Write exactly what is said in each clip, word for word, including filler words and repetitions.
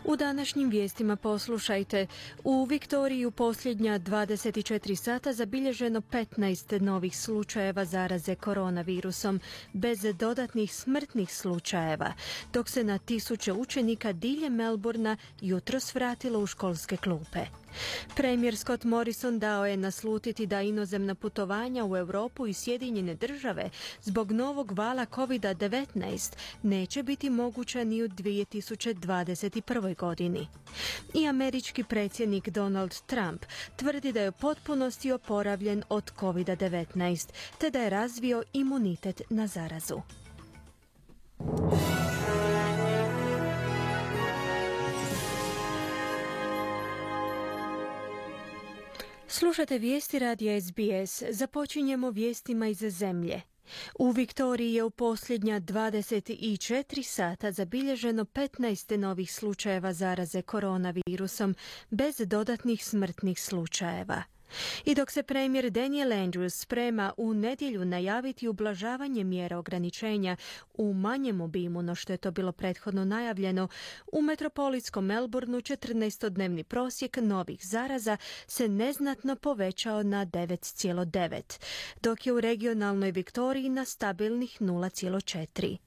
U današnjim vijestima poslušajte. U Viktoriji u posljednja dvadeset četiri sata zabilježeno petnaest novih slučajeva zaraze koronavirusom, bez dodatnih smrtnih slučajeva, dok se na tisuće učenika diljem Melbourna jutros vratilo u školske klupe. Premijer Scott Morrison dao je naslutiti da inozemna putovanja u Europu i Sjedinjene države zbog novog vala kovid devetnaest neće biti moguća ni u dvije tisuće dvadeset prvoj godini. I američki predsjednik Donald Trump tvrdi da je u potpunosti oporavljen od kovid devetnaest, te da je razvio imunitet na zarazu. Slušate vijesti radija S B S. Započinjemo vijestima iz zemlje. U Viktoriji je u posljednja dvadeset četiri sata zabilježeno petnaest novih slučajeva zaraze koronavirusom, bez dodatnih smrtnih slučajeva. I dok se premijer Daniel Andrews sprema u nedjelju najaviti ublažavanje mjera ograničenja u manjem obimu no što je to bilo prethodno najavljeno, u metropolitskom Melbourneu četrnaestodnevni prosjek novih zaraza se neznatno povećao na devet zarez devet, dok je u regionalnoj Viktoriji na stabilnih nula zarez četiri.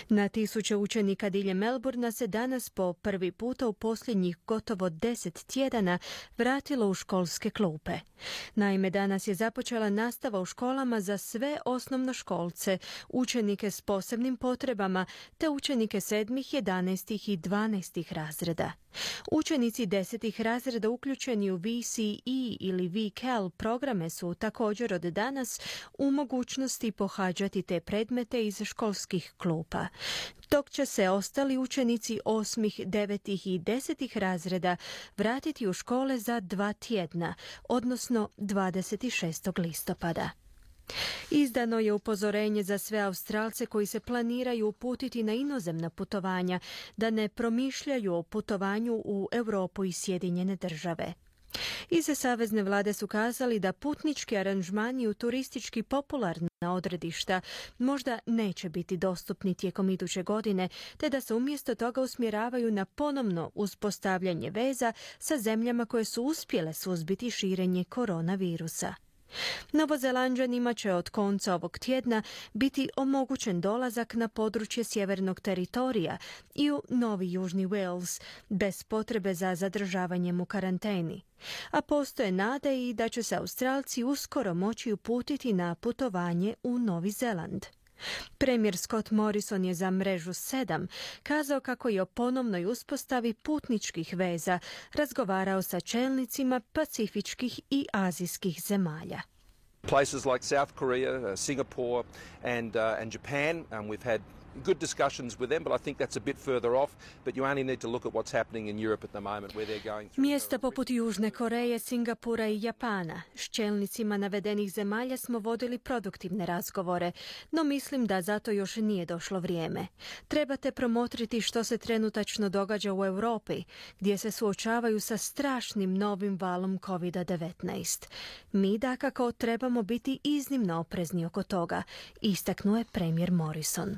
Na tisuće učenika diljem Melbourna se danas po prvi puta u posljednjih gotovo deset tjedana vratilo u školske klupe. Naime, danas je započela nastava u školama za sve osnovnoškolce, učenike s posebnim potrebama te učenike sedmih, jedanaestih i dvanaestih razreda. Učenici desetih razreda uključeni u V C E ili V C A L programe su također od danas u mogućnosti pohađati te predmete iz školskih klupa, dok će se ostali učenici osmih, devetih i desetih razreda vratiti u škole za dva tjedna, odnosno dvadeset šestog listopada. Izdano je upozorenje za sve Australce koji se planiraju uputiti na inozemna putovanja da ne promišljaju o putovanju u Europu i Sjedinjene države. Iz savezne vlade su kazali da putnički aranžmani u turistički popularna odredišta možda neće biti dostupni tijekom iduće godine, te da se umjesto toga usmjeravaju na ponovno uspostavljanje veza sa zemljama koje su uspjele suzbiti širenje koronavirusa. Novozelanđanima će od konca ovog tjedna biti omogućen dolazak na područje sjevernog teritorija i u Novi Južni Wales, bez potrebe za zadržavanjem u karanteni. A postoje nade i da će se Australci uskoro moći uputiti na putovanje u Novi Zeland. Premijer Scott Morrison je za mrežu sedam kazao kako je o ponovnoj uspostavi putničkih veza razgovarao sa čelnicima pacifičkih i azijskih zemalja. Places like South Korea, uh, Singapore and uh, and Japan, um, we've had good discussions with them, but I think that's a bit further off, but you only need to look at what's happening in Europe at the moment where they're going through. Mjesta poput Južne Koreje, Singapura i Japana. S čelnicima navedenih zemalja smo vodili produktivne razgovore, no mislim da zato još nije došlo vrijeme. Trebate promotriti što se trenutačno događa u Europi, gdje se suočavaju sa strašnim novim valom kovid devetnaest. Mi dakako trebamo biti iznimno oprezni oko toga, istaknuo je premijer Morrison.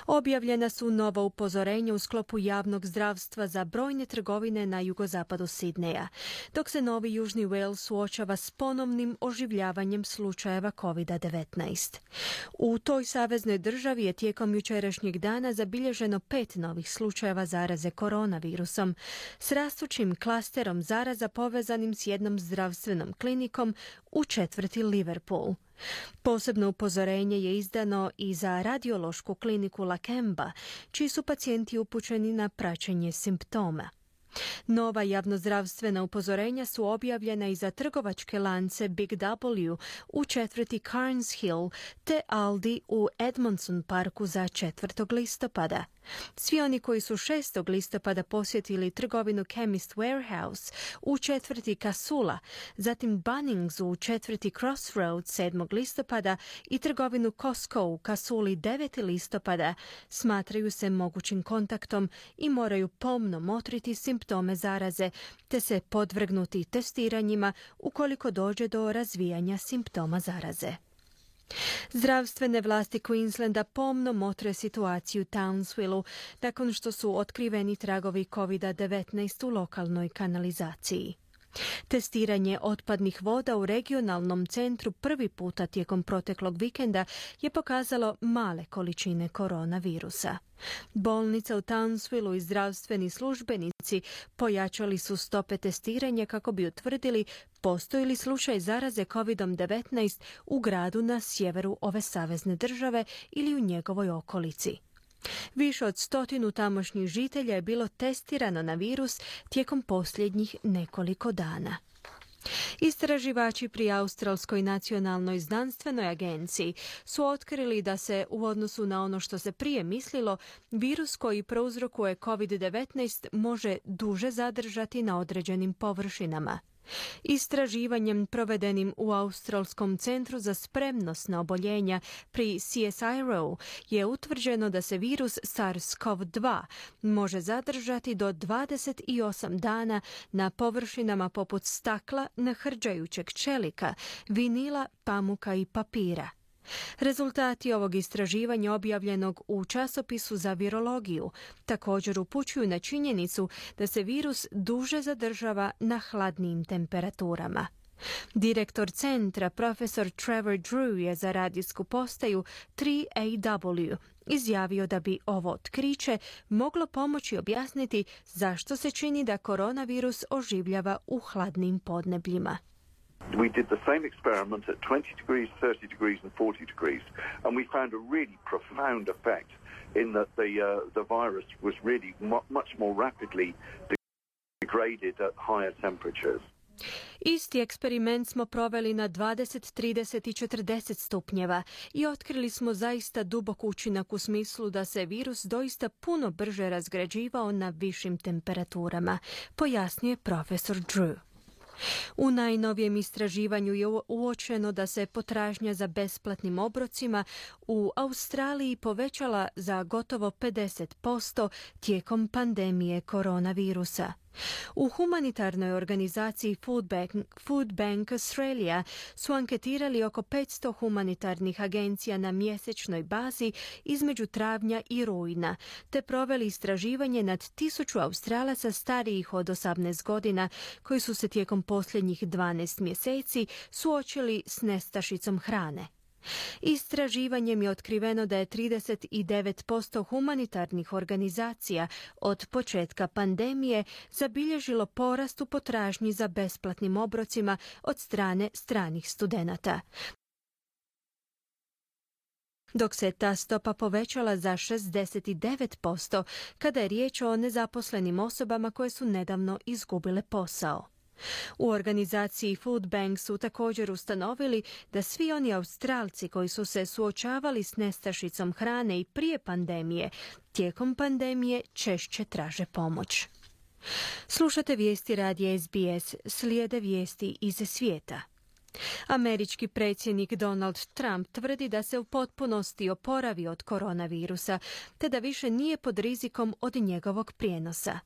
Objavljena su nova upozorenja u sklopu javnog zdravstva za brojne trgovine na jugozapadu Sidneja, dok se Novi Južni Wales suočava s ponovnim oživljavanjem slučajeva kovid devetnaest. U toj saveznoj državi je tijekom jučerašnjeg dana zabilježeno pet novih slučajeva zaraze koronavirusom, s rastućim klasterom zaraza povezanim s jednom zdravstvenom klinikom u četvrti Liverpool. Posebno upozorenje je izdano i za radiološku kliniku Lakemba, čiji su pacijenti upućeni na praćenje simptoma. Nova javnozdravstvena upozorenja su objavljena i za trgovačke lance Big W u četvrti Carnes Hill te Aldi u Edmondson parku za četvrtog listopada. Svi oni koji su šestog listopada posjetili trgovinu Chemist Warehouse u četvrti Casula, zatim Bunnings u četvrti Crossroads sedmog listopada i trgovinu Costco u Casuli deveti listopada, smatraju se mogućim kontaktom i moraju pomno motriti simptome zaraze te se podvrgnuti testiranjima ukoliko dođe do razvijanja simptoma zaraze. Zdravstvene vlasti Queenslanda pomno motre situaciju u Townsvillu nakon što su otkriveni tragovi kovid devetnaest u lokalnoj kanalizaciji. Testiranje otpadnih voda u regionalnom centru prvi puta tijekom proteklog vikenda je pokazalo male količine koronavirusa. Bolnica u Townsvillu i zdravstveni službenici pojačali su stope testiranja kako bi utvrdili postoji li slučaj zaraze kovid devetnaest u gradu na sjeveru ove savezne države ili u njegovoj okolici. Više od stotinu tamošnjih žitelja je bilo testirano na virus tijekom posljednjih nekoliko dana. Istraživači pri Australskoj nacionalnoj znanstvenoj agenciji su otkrili da se u odnosu na ono što se prije mislilo, virus koji prouzrokuje kovid devetnaest može duže zadržati na određenim površinama. Istraživanjem provedenim u Australskom centru za spremnost na oboljenja pri C S I R O je utvrđeno da se virus SARS-CoV dva može zadržati do dvadeset osam dana na površinama poput stakla, nahrđajućeg čelika, vinila, pamuka i papira. Rezultati ovog istraživanja objavljenog u časopisu za virologiju također upućuju na činjenicu da se virus duže zadržava na hladnijim temperaturama. Direktor centra, profesor Trevor Drew, je za radijsku postaju tri A W izjavio da bi ovo otkriće moglo pomoći objasniti zašto se čini da koronavirus oživljava u hladnim podnebljima. We did the same experiment at twenty degrees, thirty degrees and forty degrees, and we found a really profound effect in that the, uh, the virus was really mu- much more rapidly degraded at higher temperatures. Isti eksperiment smo proveli na dvadeset, trideset i četrdeset stupnjeva i otkrili smo zaista dubok učinak u smislu da se virus doista puno brže razgrađivao na višim temperaturama, pojasnio profesor Drew. U najnovijem istraživanju je uočeno da se potražnja za besplatnim obrocima u Australiji povećala za gotovo pedeset posto tijekom pandemije koronavirusa. U humanitarnoj organizaciji Food Bank, Food Bank Australia su anketirali oko petsto humanitarnih agencija na mjesečnoj bazi između travnja i rujna, te proveli istraživanje nad tisuću Australaca starijih od osamnaest godina koji su se tijekom posljednjih dvanaest mjeseci suočili s nestašicom hrane. Istraživanjem je otkriveno da je trideset devet posto humanitarnih organizacija od početka pandemije zabilježilo porast u potražnji za besplatnim obrocima od strane stranih studenata, dok se ta stopa povećala za šezdeset devet posto kada je riječ o nezaposlenim osobama koje su nedavno izgubile posao. U organizaciji Food Bank su također ustanovili da svi oni Australci koji su se suočavali s nestašicom hrane i prije pandemije, tijekom pandemije češće traže pomoć. Slušate vijesti radija S B S, slijede vijesti iz svijeta. Američki predsjednik Donald Trump tvrdi da se u potpunosti oporavio od koronavirusa, te da više nije pod rizikom od njegovog prijenosa.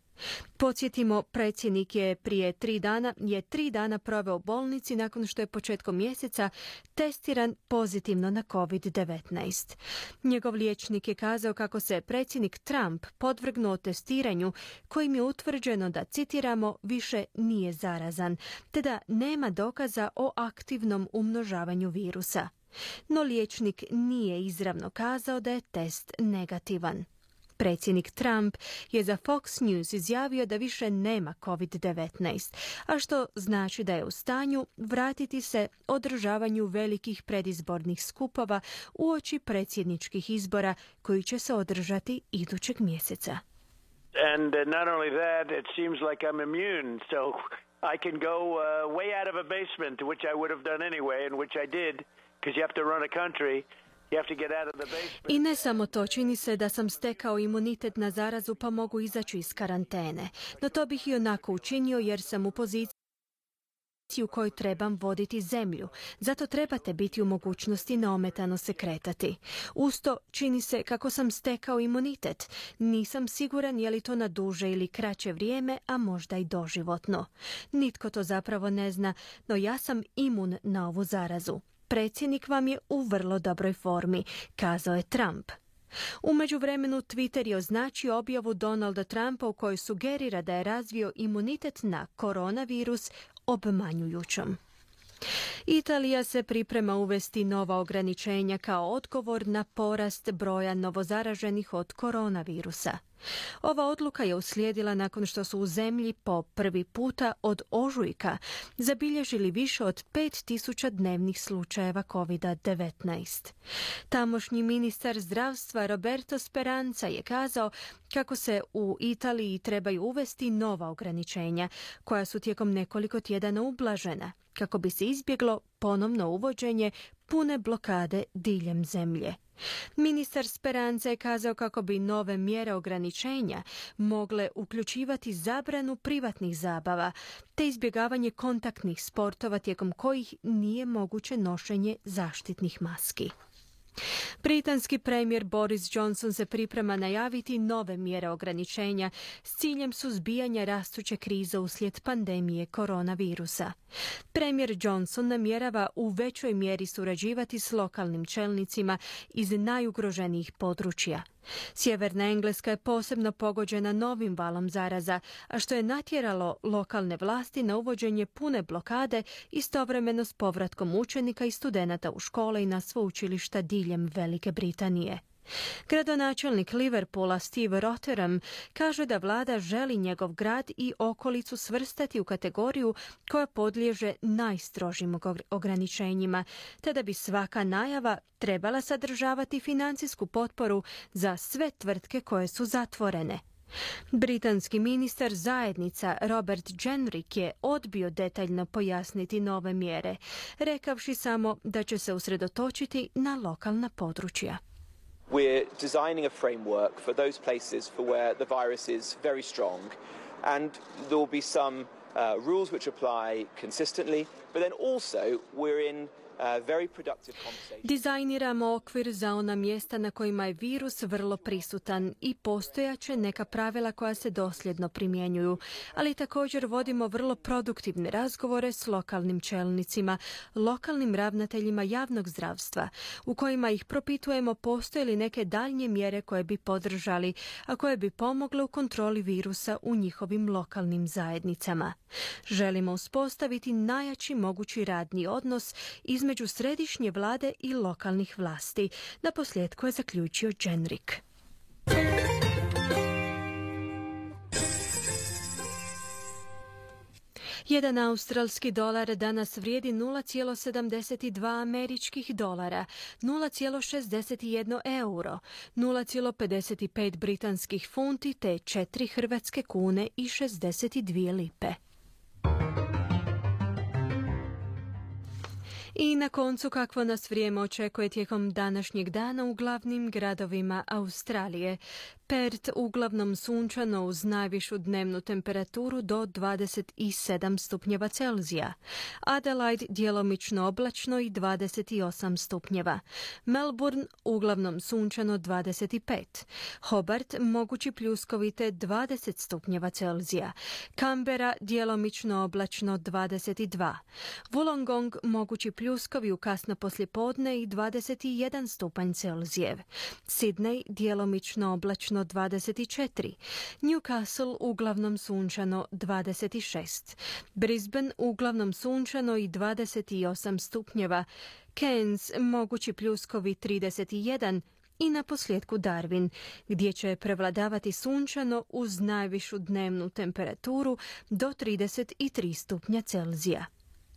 Podsjetimo, predsjednik je prije tri dana, je tri dana proveo u bolnici nakon što je početkom mjeseca testiran pozitivno na kovid devetnaest. Njegov liječnik je kazao kako se predsjednik Trump podvrgnuo testiranju kojim je utvrđeno da, citiramo, više nije zarazan, te da nema dokaza o aktivnom umnožavanju virusa. No liječnik nije izravno kazao da je test negativan. Predsjednik Trump je za Fox News izjavio da više nema kovid devetnaest, a što znači da je u stanju vratiti se održavanju velikih predizbornih skupova uoči predsjedničkih izbora koji će se održati idućeg mjeseca. And uh, not only that, it seems like I'm immune, so I can go uh, way out of a basement, which I would have done anyway, and which I did, because you have to run a country. I ne samo to, čini se da sam stekao imunitet na zarazu pa mogu izaći iz karantene. No to bih i onako učinio jer sam u poziciji u kojoj trebam voditi zemlju. Zato trebate biti u mogućnosti neometano se kretati. Usto čini se kako sam stekao imunitet. Nisam siguran je li to na duže ili kraće vrijeme, a možda i doživotno. Nitko to zapravo ne zna, no ja sam imun na ovu zarazu. predsjednik vam je u vrlo dobroj formi, kazao je Trump. U međuvremenu Twitter je označio objavu Donalda Trumpa u kojoj sugerira da je razvio imunitet na koronavirus obmanjujućom. Italija se priprema uvesti nova ograničenja kao odgovor na porast broja novozaraženih od koronavirusa. Ova odluka je uslijedila nakon što su u zemlji po prvi puta od ožujka zabilježili više od pet tisuća dnevnih slučajeva kovid devetnaest. Tamošnji ministar zdravstva Roberto Speranza je kazao kako se u Italiji trebaju uvesti nova ograničenja koja su tijekom nekoliko tjedana ublažena kako bi se izbjeglo ponovno uvođenje pune blokade diljem zemlje. Ministar Speranza je kazao kako bi nove mjere ograničenja mogle uključivati zabranu privatnih zabava te izbjegavanje kontaktnih sportova tijekom kojih nije moguće nošenje zaštitnih maski. Britanski premijer Boris Johnson se priprema najaviti nove mjere ograničenja s ciljem suzbijanja rastuće krize uslijed pandemije koronavirusa. Premijer Johnson namjerava u većoj mjeri surađivati s lokalnim čelnicima iz najugroženijih područja. Sjeverna Engleska je posebno pogođena novim valom zaraza, a što je natjeralo lokalne vlasti na uvođenje pune blokade istovremeno s povratkom učenika i studenata u škole i na sveučilišta diljem Velike Britanije. Gradonačelnik Liverpoola Steve Rotheram kaže da vlada želi njegov grad i okolicu svrstati u kategoriju koja podliježe najstrožim ograničenjima, te da bi svaka najava trebala sadržavati financijsku potporu za sve tvrtke koje su zatvorene. Britanski ministar zajednica Robert Jenrick je odbio detaljno pojasniti nove mjere, rekavši samo da će se usredotočiti na lokalna područja. We're designing a framework for those places for where the virus is very strong, and there will be some uh, rules which apply consistently, but then also we're in uh, very productive conversations. Dizajniramo okvir za ona mjesta na kojima je virus vrlo prisutan i postojaće neka pravila koja se dosljedno primjenjuju, ali također vodimo vrlo produktivne razgovore s lokalnim čelnicima, lokalnim ravnateljima javnog zdravstva, u kojima ih propitujemo postoje li neke daljnje mjere koje bi podržali, a koje bi pomogle u kontroli virusa u njihovim lokalnim zajednicama. Želimo uspostaviti najjači mogući radni odnos između središnje vlade i lokalnih vlasti, na posljedku je zaključio Jenrick. Jedan australski dolar danas vrijedi nula zarez sedamdeset dva američkih dolara, nula zarez šezdeset jedan euro, nula zarez pedeset pet britanskih funti te četiri hrvatske kune i šezdeset dvije lipe. I na koncu kakvo nas vrijeme očekuje tijekom današnjeg dana u glavnim gradovima Australije. Perth uglavnom sunčano uz najvišu dnevnu temperaturu do dvadeset sedam stupnjeva Celzija. Adelaide djelomično oblačno i dvadeset osam stupnjeva. Melbourne uglavnom sunčano dvadeset pet. Hobart mogući pljuskovite dvadeset stupnjeva Celzija. Canberra djelomično oblačno dvadeset dva. Wollongong mogući pljuskovi u kasno poslijepodne i dvadeset jedan stupanj Celzijev. Sydney djelomično oblačno dvadeset četiri. Newcastle uglavnom sunčano dvadeset šest. Brisbane uglavnom sunčano i dvadeset osam stupnjeva. Cairns mogući pljuskovi trideset jedan. I na posljedku Darwin, gdje će prevladavati sunčano uz najvišu dnevnu temperaturu do trideset tri stupnja Celzija.